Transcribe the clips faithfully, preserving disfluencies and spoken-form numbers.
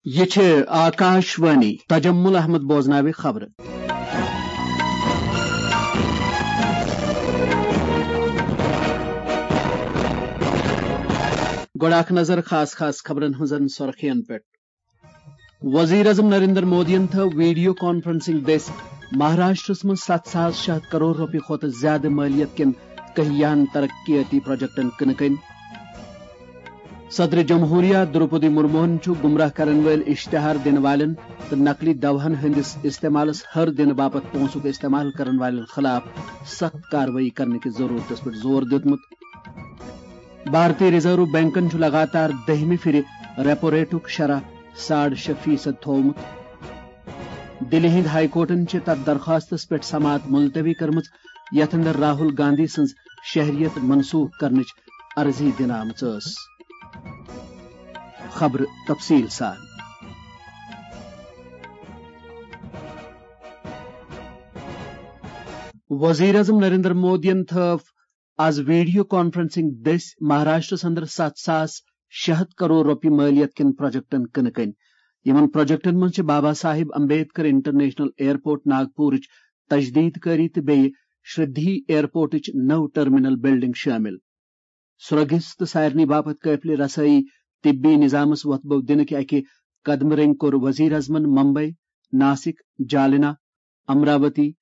یہِ چھِ آکاش وانی۔ تجمل احمد بوزناوِ خبرٕ۔ گۄڈٕ اکھ نظر خاص خاص خبرن ہٕنٛزن سرخین پٮ۪ٹھ۔ وزیر اعظم نریندر مودیَن تھٲو ویڈیو کانفرنسنگ دٔسۍ مہاراشٹرس منٛز ستھ ساس شےٚ ہتھ کرور رۄپیہِ کھۄتہٕ زیادٕ مٲلیت کٮ۪ن کہیاہن ترقیٲتی پروجیکٹن کٕنہٕ کٔنۍ۔ صدر جمہوریہ دروپدی مرموہن چھُ گمراہ کرن وٲلۍ اشتہار دِنہٕ والٮ۪ن تہٕ نقلی دوہن ہٕنٛدِس استعمالس ہر دِنہٕ باپتھ پونٛسُک استعمال کرن والٮ۪ن خلاف سخت کاروٲیی کرنہٕ کِس ضروٗرتس پٮ۪ٹھ زور دیُتمُت۔ بھارتی ریزرو بینکن چھُ لگاتار دٔہمہِ پھِرِ ریپو ریٹُک شرح ساڑ شےٚ فیصد تھوومُت۔ دِلہِ ہِنٛدۍ ہائی کورٹَن چھِ تَتھ درخواستَس پٮ۪ٹھ سماعت ملتوی کٔرمٕژ، یَتھ اندر راہل گاندھی سٕنٛز شہریت منسوخ کرنٕچ عرضی دِنہٕ آمٕژ ٲس۔ خبرٕ تفصیٖل سان۔ وزیر اعظم نریندر مودیَن تھٲو آز ویڈیو کانفرنسنگ دٔسۍ مہاراشٹرس اندر ستھ ساس شےٚ ہتھ کرور رۄپیہِ مٲلیت کٮ۪ن پروجیکٹن کٕنہٕ کٔنۍ۔ یِمن پروجیکٹن منٛز چھِ بابا صاحب امبیڈکر انٹرنیشنل ایئرپورٹ ناگپورٕچ تجدید کٲری تہٕ بیٚیہِ شردھی ایئرپورٹٕچ نٔو ٹرمینل بلڈنگ شٲمِل۔ سرٛوگِس تہٕ سارنٕے باپتھ قٲبلِ رسٲیی طبی نظامس وۄتھٕ بو دِنہٕ کہِ اکہِ قدمہٕ رٔنگۍ کوٚر وزیر اعظمن ممبئی، ناسک، جالنا، امراوتی،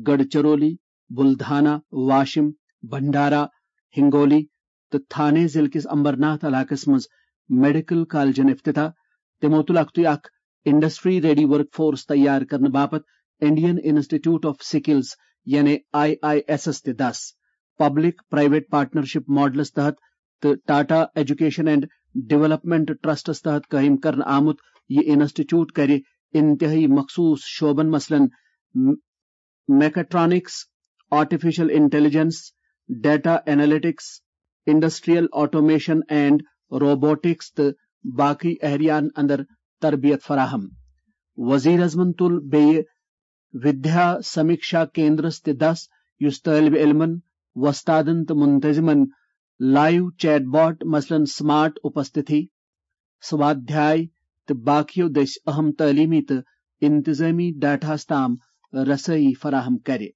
گڑھ چرولی، بلدھانا، واشم، بھنڈارا، ہنگولی تہٕ تھانے ضلعہٕ کِس امبرناتھ علاقس منٛز میڈیکل کالجن افتتاح۔ تِمو تُل اکھتُے اکھ انڈسٹری ریڈی ورک فورس تیار کرنہٕ باپتھ انڈین انسٹیٹیوٹ آف سکلز، یعنی آئی آئی ایس ایس تہِ دس۔ پبلک پرائیویٹ پارٹنرشپ ماڈلس تحت تہٕ Tata education and development trusts تحت قائم کرنہٕ آمُت یہِ انسٹیٹیوٹ کرِ انتہائی مخصوص شعبن مثلاً mechatronics, artificial intelligence, data analytics, industrial automation and robotics تہٕ باقی ایریاہن اندر تربیت فراہم۔ وزیر اعظمن تُل بیٚیہِ ودیا سمیکشا کیندرس تہِ دس، یُس طٲلبِ علمن، وۄستادن تہٕ منتظمن لائیو چیٹ باٹ، مثلاً سمارٹ اپستھتی، سوادھیاے تہٕ باقیو دٔسۍ اہم تعلیمی تہٕ انتظامی ڈیٹاہس تام رسٲیی فراہم کرِ۔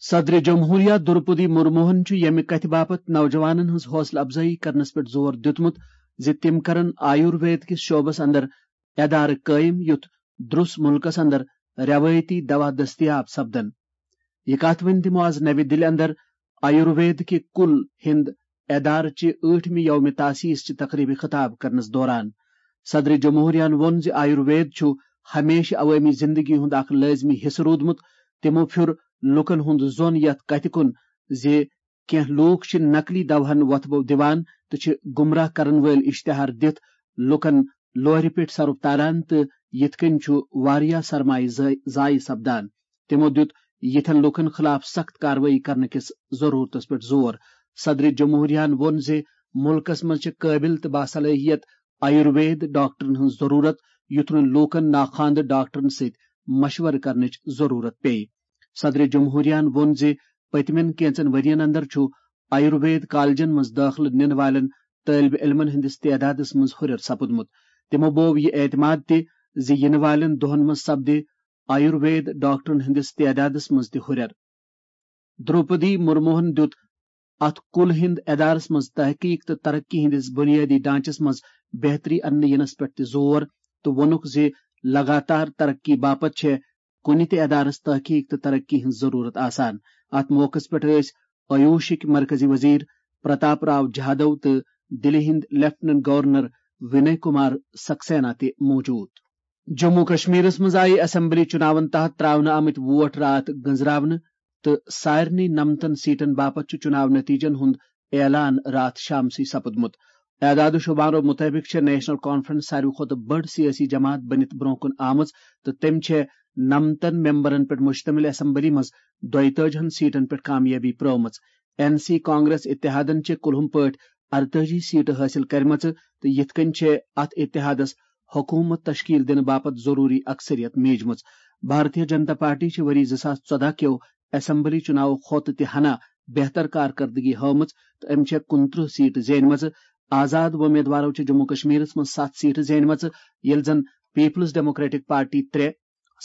صدر جمہوریہ دروپدی مرموہن چھُ ییٚمہِ کتھِ باپتھ نوجوانن ہٕنٛز حوصلہٕ افزٲیی کرنس پٮ۪ٹھ زور دیُتمُت زِ تِم کرن آیُروید کِس شعبس اندر ادارٕ قٲیِم، یُتھ درُس مُلکس اندر رٮ۪وٲیتی دوا دٔستیاب سپدن۔ یہِ کتھ ؤنۍ تِمو آز نَوِ دِلہِ اندر آیُروید کہِ کُل ہِنٛد ادارٕ چہِ ٲٹھمہِ یومِ تاسیس چہِ تقریبہِ خطاب کرنس دوران۔ صدر جمہوریہن ووٚن زِ آیُروید چھُ ہمیشہٕ عوٲمی زندگی ہُنٛد اکھ لٲزمی حصہٕ روٗدمُت۔ تِمو پھیُر لوٗکن ہُنٛد ظۄن یتھ کتھِ کُن زِ کینٛہہ لوٗکھ چھِ نقلی دوہن وۄتھٕ بو دِوان تہٕ چھِ گمراہ کرن وٲلۍ اشتہار دِتھ لوٗکن لورِ پٮ۪ٹھ سرُپھ تاران تہٕ یِتھ کٔنۍ چھُ واریاہ سرمایہِ زٲے-، ضایع سپدان۔ تِمو دیُت یِتھٮ۪ن لوٗکن خلاف سخت کاروٲیی کرنہٕ کِس ضروٗرتس پٮ۪ٹھ زور۔ صدر جمہوریہن ووٚن زِ مُلکس منٛز چھِ قٲبِل تہٕ باصلٲحیت آیُروید ڈاکٹرن ہٕنٛز ضروٗرت، یُتھ نہٕ لوٗکن ناخواندٕ ڈاکٹرن سۭتۍ مشورٕ کرنٕچ ضروٗرت پیٚیہِ۔ صدر جمہوریہن ووٚن زِ پٔتمٮ۪ن کینژن ؤرین اندر چھُ آیُروید کالجن منٛز دٲخلہٕ نِنہٕ والٮ۪ن طٲلبِ علمن ہٕنٛدِس تعدادس منٛز ہُرٮ۪ر سپُدمُت۔ تِمو بوو یہِ اعتماد تہِ زِ یِنہٕ والٮ۪ن دۄہن منٛز سپدِ آیُروید ڈاکٹرن ہٕنٛدِس تعدادس منٛز تہِ ہُرٮ۪ر۔ دروپدی مرموہن دیُت اتھ کُل ہِنٛد ادارس منٛز تحقیق تہٕ ترقی ہٕنٛدِس بنیٲدی ڈھانچس منٛز بہتری اننہٕ ینس پٮ۪ٹھ تہِ زور تہٕ ووٚنُکھ زِ لگاتار ترقی باپتھ چھےٚ کُنہِ تہِ ادارس تحقیق تہٕ ترقی ہٕنٛز ضروٗرت آسان۔ اتھ موقعس پٮ۪ٹھ ٲسۍ آیوشٕکۍ مرکزی وزیر پرتاپ راو جہادو تہٕ دِلہِ ہٕنٛدۍ لیفٹیننٹ گورنر وِنے کُمار سکسینا تہِ موجود۔ جموں کشمیرس منٛز آیہِ اسمبلی چُناون تحت تراونہٕ آمٕتۍ ووٹ راتھ گٔنزراونہٕ تہٕ سارنٕے نَمتَن سیٹن باپتھ چھُ چُناو نتیجن ہُنٛد اعلان راتھ شامسٕے سپُدمُت۔ اعداد و شمارو مُطٲبِق چھےٚ نیشنل کانفرنس ساروی کھۄتہٕ بٔڑ سیٲسی جماعت بٔنِتھ برونٛہہ کُن آمٕژ تہٕ تٔمۍ چھےٚ نَمتَن ممبرن پٮ۪ٹھ مشتمل اسمبلی منٛز دۄیتٲجی ہن سیٹن پٮ۪ٹھ کامیٲبی پرٲومٕژ۔ این سی کانگریس اتحادن چھےٚ کُلہُم پٲٹھۍ ارتٲجی سیٹہٕ حٲصِل کرِمژٕ تہٕ یِتھ کٔنۍ چھےٚ اتھ اتحادس حکوٗمت تشکیل دِنہٕ باپتھ ضروٗری اکثریت میٖجمٕژ۔ بھارتیہ جنتا پارٹی چھِ ؤری زٕ ساس ژۄداہ کیو اسمبلی چُناوو کھۄتہٕ تہِ ہنا بہتر کارکردگی ہٲومٕژ تہٕ أمۍ چھےٚ کُنترٕہ سیٹہٕ زینِمژٕ۔ آزاد وۄمیدوارو چھِ جموں کشمیرس منٛز ستھ سیٹہٕ زینمژٕ، ییٚلہِ زن پیپلز ڈیموکریٹک پارٹی ترٛےٚ،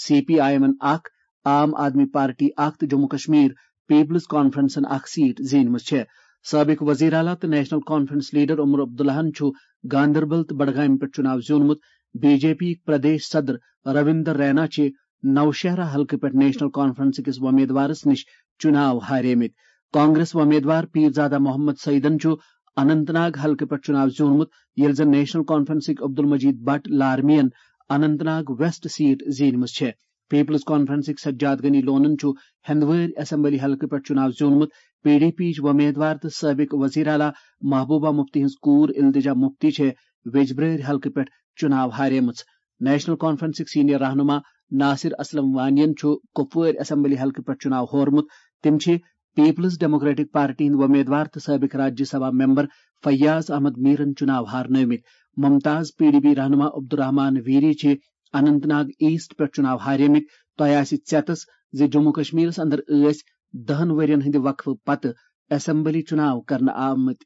سی پی آئی ایمن اکھ، عام آدمی پارٹی اکھ تہٕ جموں کشمیر پیپلز کانفرنسن اکھ سیٹ زینمٕژ چھےٚ۔ سابق وزیر اعلیٰ تہٕ نیشنل کانفرنس لیڈر عمر عبداللہن چھُ گاندربل تہٕ بڈگامہِ پٮ۪ٹھ چُناو زیوٗنمُت۔ بی جے پی یِکۍ پردیش صدر رویندر رینا چھِ نوشہرہ حلقہٕ پٮ۪ٹھ نیشنل کانفرنس کِس وۄمیدوارس نِش چُناو ہاریمٕتۍ۔ کانگریس وۄمیدوار پیرزادہ محمد سعیدن چھُ اننت ناگ حلقہٕ پٮ۪ٹھ چُناو زیوٗنمُت، ییٚلہِ زن national کانفرنسٕکۍ Abdul Majeed Bhat لارمین Anant Nag waste set زیٖنمٕژ چھےٚ۔ پیپلز کانفرنسٕکۍ سجاد غنی لونن چھُ ہندوٲرۍ اسمبلی حلقہٕ پٮ۪ٹھ چُناو زیوٗنمُت۔ پی ڈی پی یِچ وۄمیدوار تہٕ سٲبق وزیر اعلیٰ محبوبہ مفتی ہٕنٛز کوٗر التجا مفتی چھےٚ ویجبرٲرۍ حلقہٕ پٮ۪ٹھ چُناو ہاریمٕژ۔ نیشنل کانفرنسٕکۍ سینئر رہنما ناصر اسلم وانین چھُ کپوٲرۍ اسمبلی حلقہٕ پٮ۪ٹھ چُناو ہورمُت۔ تِم چھِ پیپلز ڈیموکریٹک پارٹی ہٕنٛدۍ وۄمیدوار تہٕ سٲبق راجیہ سبھا ممبر فیاض احمد میرن چُناو ہارنٲومٕتۍ۔ ممتاز پی ڈی پی رہنما عبدالرحمان ویری چھِ اننت ناگ ایسٹ پٮ۪ٹھ چُناو ہاریمٕتۍ۔ تۄہہِ آسہِ ژٮ۪تس زِ جموں کشمیرس اندر ٲسۍ دہن ؤرین ہٕنٛدِ وقفہٕ پتہٕ اسمبلی چُناو کرنہٕ آمٕتۍ،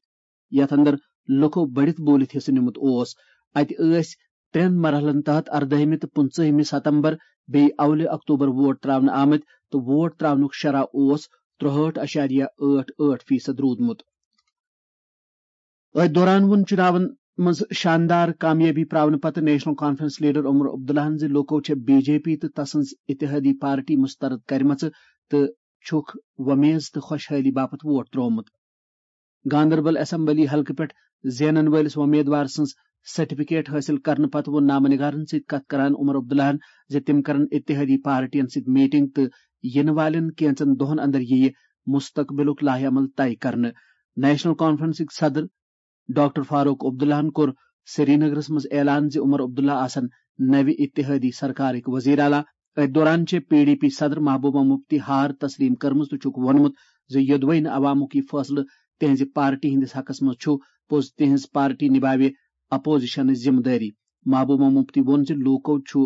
یتھ اندر لُکو بٔڑِتھ بوٗلِتھ حصہٕ نیُمُت اوس۔ اتہِ ٲسۍ ترٛٮ۪ن مرحلن تحت اردٲہمہِ تہٕ پٕنٛژٕہمہِ ستمبر بیٚیہِ اولہِ اکتوبر ووٹ تراونہٕ آمٕتۍ تہٕ ووٹ تراونُک شرح اوس ترٛہٲٹھ اَشاریہ ٲٹھ ٲٹھ فیصد روٗدمُت۔ أتھۍ دوران ووٚن چُناون منٛز شاندار کامیٲبی پراونہٕ پتہٕ نیشنل کانفرنس لیڈر عمر عبداللہن زِ لوٗکو چھےٚ بی جے پی تہٕ تسٕنز اتحادی پارٹی مسترد کرِمژٕ تہٕ چھُکھ وۄمیز تہٕ خۄشحٲلی باپتھ ووٹ تروومُت۔ گاندربل اسمبلی حلقہٕ پٮ۪ٹھ زینن وٲلِس وۄمیدوار سٕنٛز سرٹیفکیٹ حٲصِل کرنہٕ پتہٕ ووٚن نامہ نگارن سۭتۍ کتھ کران عمر عبداللہن زِ تِم کرن اتحادی پارٹین سۭتۍ میٹنگ تہٕ یِنہٕ والٮ۪ن کینژن دۄہن اندر یِیہِ مستقبلُک لائحہ عمل طے کرنہٕ۔ نیشنل کانفرنسٕکۍ صدر ڈاکٹر فاروق عبداللہن کوٚر سرینگرس منٛز اعلان زِ عمر عبداللہ آسن نوِ اتحادی سرکارٕکۍ وزیر اعلیٰ۔ أتھۍ دوران چھےٚ پی ڈی پی صدر محبوبہ مفتی ہار تسلیم کٔرمٕژ تہٕ چھُکھ ووٚنمُت زِ یوٚدوَے نہٕ عوامُک یہِ فٲصلہٕ تِہنزِ پارٹی ہٕنٛدِس حقس منٛز چھُ، پوٚز تِہنز پارٹی نِباوِ اپوزیشنٕچ ذمہٕ دٲری۔ محبوبہ مفتی ووٚن زِ لوٗکو چھُ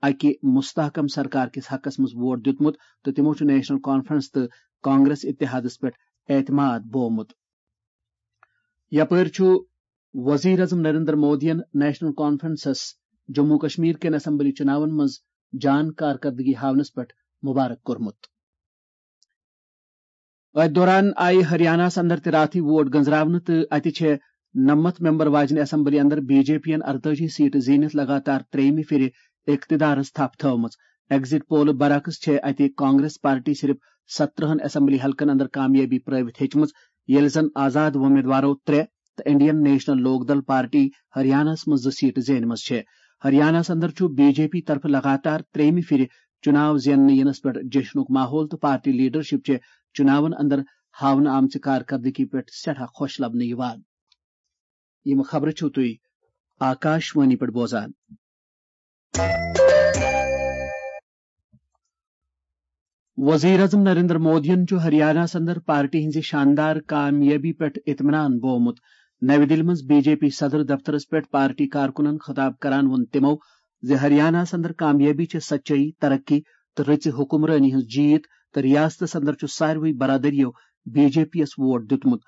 اکہِ مستحکم سرکار کِس حقس منٛز ووٹ دیُتمُت تہٕ تِمو چھُ نیشنل کانفرنس تہٕ کانگریس اتحادس پٮ۪ٹھ اعتماد بوومُت۔ یپٲرۍ چھُ وزیر اعظم نریندر مودیَن نیشنل کانفرنسس جموں کشمیر کٮ۪ن اسمبلی چُناون منٛز جان کارکردگی ہاونس پٮ۪ٹھ مبارک کوٚرمُت۔ أتھۍ دوران آیہِ ہریانہس اندر تہِ راتھٕے ووٹ گنزراونہٕ تہٕ اتہِ چھےٚ نَمَتھ ممبر واجنہِ اسمبلی اندر بی جے پی ین ارتٲجی سیٹہٕ زیٖنِتھ لگاتار ترٛیٚیِمہِ پھِرِ اقتدارس تھپھ تھٲومٕژ۔ ایگزٹ پولہٕ برعکس چھےٚ اتہِ کانگریس پارٹی صرف سترہن اسمبلی حلقن اندر کامیٲبی پرٲوِتھ ہیٚچمٕژ، ییٚلہِ زن آزاد وۄمیدوارو ترٛےٚ تہٕ انڈین نیشنل لوک دل پارٹی ہریانہس منٛز زٕ سیٹہٕ زینمژٕ چھےٚ۔ ہریانہس اندر چھُ بی جے پی طرفہٕ لگاتار ترٛیٚیمہِ پھِرِ چُناو زیننہٕ یِنس پٮ۪ٹھ جشنُک ماحول تہٕ پارٹی لیڈرشپ چھےٚ چُناون اندر ہاونہٕ آمژِ کارکردگی پٮ۪ٹھ سٮ۪ٹھاہ خۄش لبنہٕ یِوان۔ یِم خبرٕ چھِو تُہۍ آکاش وانی پٮ۪ٹھ بوزان۔ وزیر اعظم نریندر مودیَن چھُ ہریانہس اندر پارٹی ہٕنزِ شاندار کامیٲبی پٮ۪ٹھ اطمینان بوومُت۔ نَوِ دِلہِ منٛز بی جے پی صدر دفترس پٮ۪ٹھ پارٹی کارکُنن خطاب کران ووٚن تِمو زِ ہریانہس اندر کامیٲبی چھےٚ سچٲیی، ترقی تہٕ رٕژِ حکمرٲنی ہٕنٛز جیٖت تہٕ ریاستس اندر چھُ ساروٕے برادریو بی جے پی یَس ووٹ دیُتمُت۔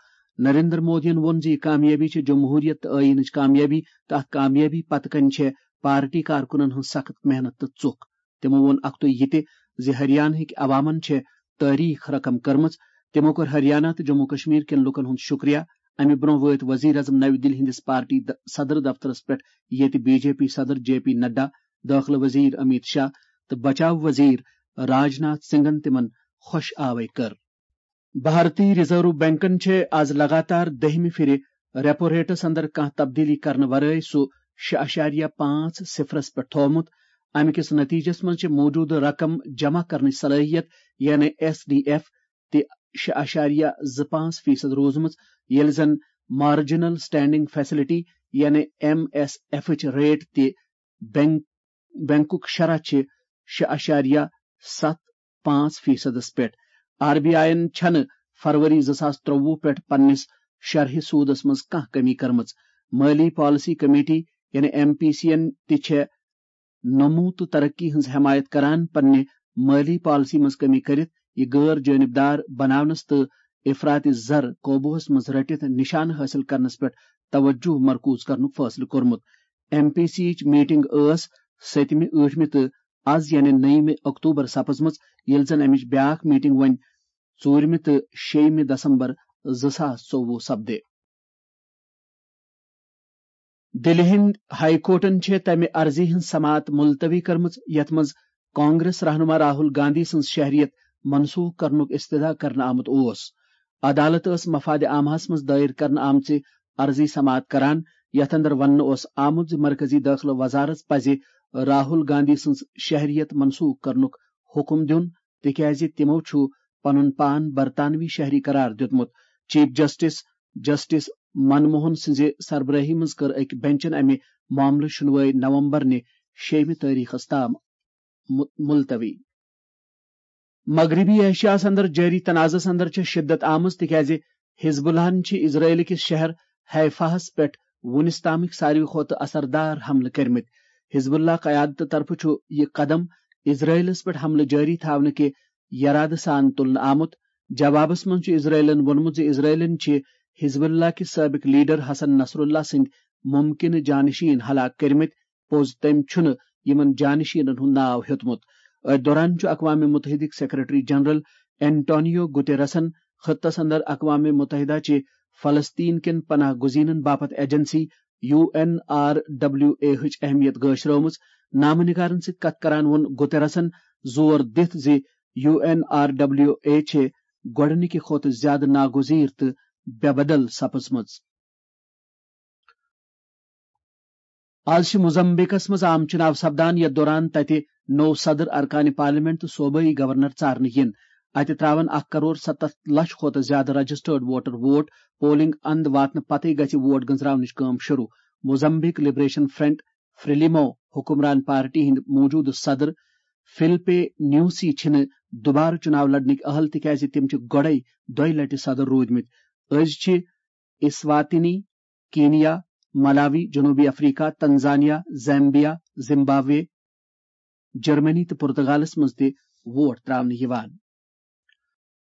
نریندر مودیَن ووٚن زِ یہِ کامیٲبی چھےٚ جمہوریت تہٕ ٲییٖنٕچ کامیٲبی تہٕ اَتھ کامیٲبی پتہٕ کنہِ چھےٚ پارٹی کارکُنن ہٕنٛز سخت محنت تہٕ ژُکھ۔ تِمو ووٚن اکھتُے یہِ تہِ زِ ہریانہٕکۍ عوامن چھےٚ تٲریخ رقم کٔرمٕژ۔ تِمو کوٚر ہریانہ تہٕ جموں کشمیر کٮ۪ن لوٗکن ہُنٛد شُکریہ۔ امہِ برٛونٛہہ وٲتۍ وزیر اعظم نَوِ دِلہِ ہٕنٛدِس پارٹی د-، صدر دفترس پٮ۪ٹھ، ییٚتہِ بی جے پی صدر جے پی نڈا، دٲخلہٕ وزیر امیت شاہ تہٕ بچاو وزیر راج ناتھ سنگھن تِمن خۄش آوے کٔر۔ بھارتی ریزرو بینکن چھےٚ از لگاتار دٔہمہِ پھِرِ ریپو ریٹس اندر کانٛہہ تبدیلی کرنہٕ ورٲے سُہ شےٚ اَشاریہ پانٛژھ صفرس پٮ۪ٹھ تھوومُت۔ امہِ کِس نتیجس منٛز چھِ موجودٕ رقم جمع کرنٕچ صلٲحیت، یعنی ایس ڈی ایف، تہِ شےٚ اَشاریہ زٕ پانٛژھ فیصد روٗزمٕژ، ییٚلہِ زن مارجنل سٹینڈنگ فیسلٹی، یعنی ایم ایس ایفٕچ ریٹ تہِ بینک، بینکُک شرح چھِ شےٚ اَشاریہ ستھ پانٛژھ فیصدس پٮ۪ٹھ۔ آر بی آئی یَن چھَنہٕ فروری زٕ ساس ترٛۆوُہ پٮ۪ٹھ پننِس شرحہِ سوٗدس منٛز کانٛہہ کمی کٔرمٕژ۔ مٲلی پالیسی کمیٹی، یعنی ایم پی سی یَن تہِ چھےٚ نمو تہٕ ترقی ہٕنٛز حمایت کران پننہِ مٲلی پالیسی منٛز کمی کٔرِتھ یہِ غٲر جٲنبدار بناونس تہٕ افراطی زر قوبوٗہس منٛز رٔٹِتھ نشانہٕ حٲصِل کرنس پٮ۪ٹھ توجہ مرکوز کرنُک فٲصلہٕ کوٚرمُت۔ ایم پی سی یچ میٹنگ ٲس ستمہِ، ٲٹھمہِ تہٕ از یعنی نٔیمہِ اکتوبر سپٕزمٕژ، ییٚلہِ زن امِچ بیاکھ میٹنگ وۄنۍ ژوٗرمہِ تہٕ شیٚیمہِ دسمبر زٕ ساس ژوٚوُہ سپدِ۔ دِلہِ ہٕنٛدۍ ہائی کورٹَن چھےٚ تَمہِ عرضی ہٕنٛز سماعت ملتوی کٔرمٕژ، یَتھ منٛز کانگریس رہنما راہل گاندھی سٕنٛز شہریت منسوخ کرنُک استدعا کرنہٕ آمُت اوس۔ عدالت ٲس مفاد عامہَس منٛز دٲیر کرنہٕ آمژِ عرضی سماعت کران، یَتھ اندر وننہٕ اوس آمُت زِ مرکزی دٲخلہٕ وزارت پزِ راہل گاندھی سٕنٛز شہریت منسوخ کرنُک حکم دیُن، تِکیازِ تِمَو چھُ پنُن پان برطانوی شہری قرار دیُتمُت۔ چیف جسٹس، جسٹس من موہن سٕنٛزِ سربرٲہی منٛز کٔر أکۍ بینچن امہِ معاملہٕ شُنوٲے نومبر نہِ شیٚیمہِ تٲریخس تام مُ-، ملتوی۔ مغربی ایشیاہس اندر جٲری تنازعس اندر چھےٚ شدت آمٕژ، تِکیازِ حزب اللہن چھِ اسرائیل کِس شہر حیفاہس پٮ۪ٹھ وُنِس تامٕکۍ ساروی کھۄتہٕ اثردار حملہٕ کٔرمٕتۍ۔ حزب اللہ قیادتہٕ طرفہٕ چھُ یہِ قدم اسرائیلس پٮ۪ٹھ حملہٕ جٲری تھاونہٕ کہِ یرادٕ سان تُلنہٕ آمُت۔ جوابس منٛز چھُ اسرائیلن ووٚنمُت زِ اسرائیلن چھِ حزب اللہ کہِ سٲبق لیڈر حسن نصر اللہ سٕنٛدۍ ممکنہٕ جانشین ہلاک کٔرمٕتۍ، پوٚز تٔمۍ چھُنہٕ یِمن جانشینن ہُنٛد ناو ہیوٚتمُت۔ أتھۍ دوران چھُ اقوام متحدٕکۍ سیکرٹری جنرل اینٹونیو گوتیرسن خطس اندر اقوام متحدہ چہِ فلسطین کٮ۪ن پناہ گزینن باپتھ agency U N R W A ہٕچ اہمیت گٲشرٲومٕژ۔ نامہ نگارن سۭتۍ کتھ کران ووٚن گوتیرسن زور دِتھ زِ U N R W A چھِ گۄڈٕنِکہِ کھۄتہٕ زیادٕ ناگزیر تہٕ بے بدل سپٕزمٕژ۔ آز چھِ موزمبیکس منٛز عام چُناو سپدان، یتھ دوران تتہِ نوٚو صدر، ارکان پارلیمنٹ تہٕ صوبٲئی گورنر ژارنہٕ یِن۔ اتہِ تراون اکھ کرور ستتھ لچھ کھۄتہٕ زیادٕ رجسٹرڈ ووٹر ووٹ۔ پولنگ اند واتنہٕ پتہٕ گژھِ ووٹ گنزراونٕچ کٲم شروع۔ موزمبیک لبریشن فرنٹ، فریلیمو، حکمران پارٹی ہٕنٛدۍ موجودٕ صدر فلپے نیوسی چھِنہٕ دوبارٕ چُناو لڑنٕکۍ اہل، تِکیازِ تِم چھِ گۄڈَے دۄیہِ لٹہِ صدر روٗدمٕتۍ۔ أزۍ چھِ اسواتینی، کینیا، ملاوی، جنوبی افریقہ، تنزانیہ، زیمبیا، زمبابوے، جرمنی تہٕ پرتگالس منٛز تہِ ووٹ تراونہٕ یِوان۔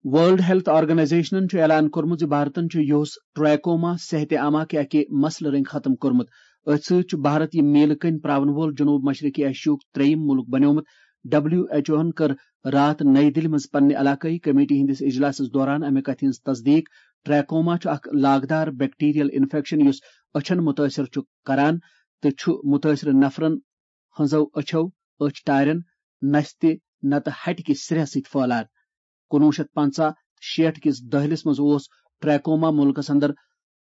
ورلڈ ہیلتھ آرگنائزیشنن چھُ اعلان کوٚرمُت زِ بھارتن چھُ یُہُس ٹریکوما صحت عامہ کہِ اکہِ مسلہٕ رٔنگۍ ختم کوٚرمُت۔ أتھۍ سۭتۍ چھُ بھارت یہِ میلہٕ کٔنۍ پراون وول جنوب مشرقی ایشیاہُک ترٛیٚیِم مُلک بنیومُت۔ ڈبلیو ایچ اوہن کٔر راتھ نئی دِلہِ منٛز پننہِ علاقٲیی کمیٹی ہٕنٛدِس اجلاسس دوران امہِ کتھِ ہٕنٛز تصدیق۔ ٹریکوما چھُ اکھ لاگدار بیکٹیریل انفیکشن یُس أچھن متٲثر چھُ کران تہٕ چھُ متٲثر نفرن ہٕنٛزو أچھو، أچھ ٹارٮ۪ن، نستہِ نتہٕ ہٹہِ کِس سرٛیٚہہ سۭتۍ پھٔہلان۔ کُنوُہ شیٚتھ پنٛژاہ شیٹھ کِس دٔہلِس منٛز اوس ٹریکوما مُلکس اندر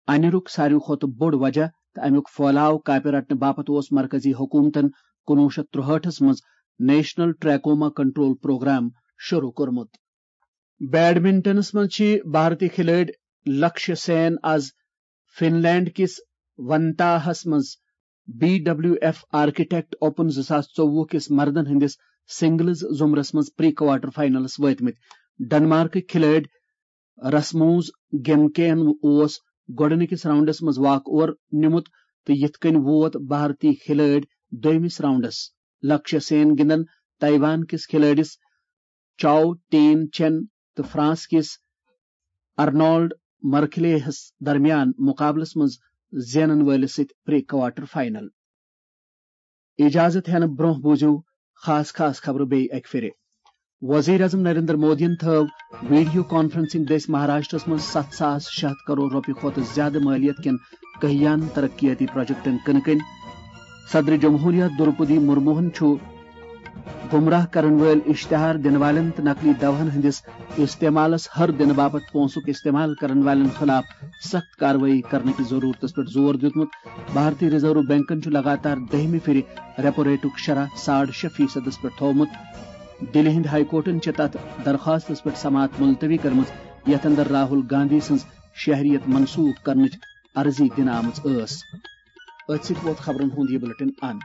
انیرُک ساروی کھۄتہٕ بوٚڑ وجہ، تہٕ امیُک پھٔہلاو کاپہِ رٹنہٕ باپتھ اوس مرکزی حکومتن کُنوُہ شیٚتھ ترٛہٲٹھس منٛز نیشنل ٹریکوما کنٹرول پروگرام شروع کوٚرمُت۔ بیڈمنٹنس منٛز چھِ بھارتی کھلٲڑۍ لکشیہ سین از فن لینڈ کِس ونتاہس منٛز B W F architect open زٕ ساس ژوٚوُہ کِس مردن ہٕنٛدِس سنگلز زمرس منٛز پری کوارٹر فائنلس وٲتمٕتۍ۔ ڈنمارکٕکۍ کھلٲڑۍ رسموز گیمکین اوس گۄڈٕنِکِس راؤنڈس منٛز واک اوور نیومُت تہٕ یِتھ کٔنۍ ووت بھارتی کھلٲڑۍ دویمِس راؤنڈس۔ لکشیہ سین گِنٛدن تائیوان کِس کھلٲڑِس چاو ٹین چین تہٕ فرانس کِس ارنولڈ مرکلے ہس درمیان مقابلس منٛز زینن وٲلِس سۭتۍ پری کوارٹر فائنل۔ اجازت ہینہٕ برونٛہہ بوٗزِو خاص خاص خبرٕ بیٚیہِ اکہِ پھِرِ۔ وزیر اعظم نریندر مودیَن تھٲو ویڈیو کانفرنسنگ دٔسۍ مہاراشٹرس منٛز ستھ ساس شےٚ ہتھ کرور رۄپیہِ کھۄتہٕ زیادٕ مٲلیت کٮ۪ن کہیان ترقیاتی پروجیکٹن کٕنہٕ کٔنۍ۔ صدر جمہوریہ درپدی مرموہن چھُ گمراہ کرن وٲلۍ اشتہار دِنہٕ والٮ۪ن تہٕ نقلی دوہن ہٕنٛدِس استعمالس ہر دِنہٕ باپتھ پونٛسُک استعمال کرن والٮ۪ن خلاف سخت کاروٲیی کرنہٕ کِس ضروٗرتس پٮ۪ٹھ زور دیُتمُت۔ بھارتی ریزرو بینکن چھُ لگاتار دٔہمہِ پھِرِ ریپو ریٹُک شرح ساڑ شےٚ فیصدس پٮ۪ٹھ تھوومُت۔ دِلہِ ہٕنٛدِ ہائی کورٹن چھِ تتھ درخواستس پٮ۪ٹھ سماعت ملتوی کٔرمٕژ، یتھ اندر راہل گاندھی سٕنٛز شہریت منسوخ کرنٕچ عرضی دِنہٕ آمٕژ ٲس۔ أتھۍ سۭتۍ ووت خبرن ہُنٛد یہِ بلیٹن اند۔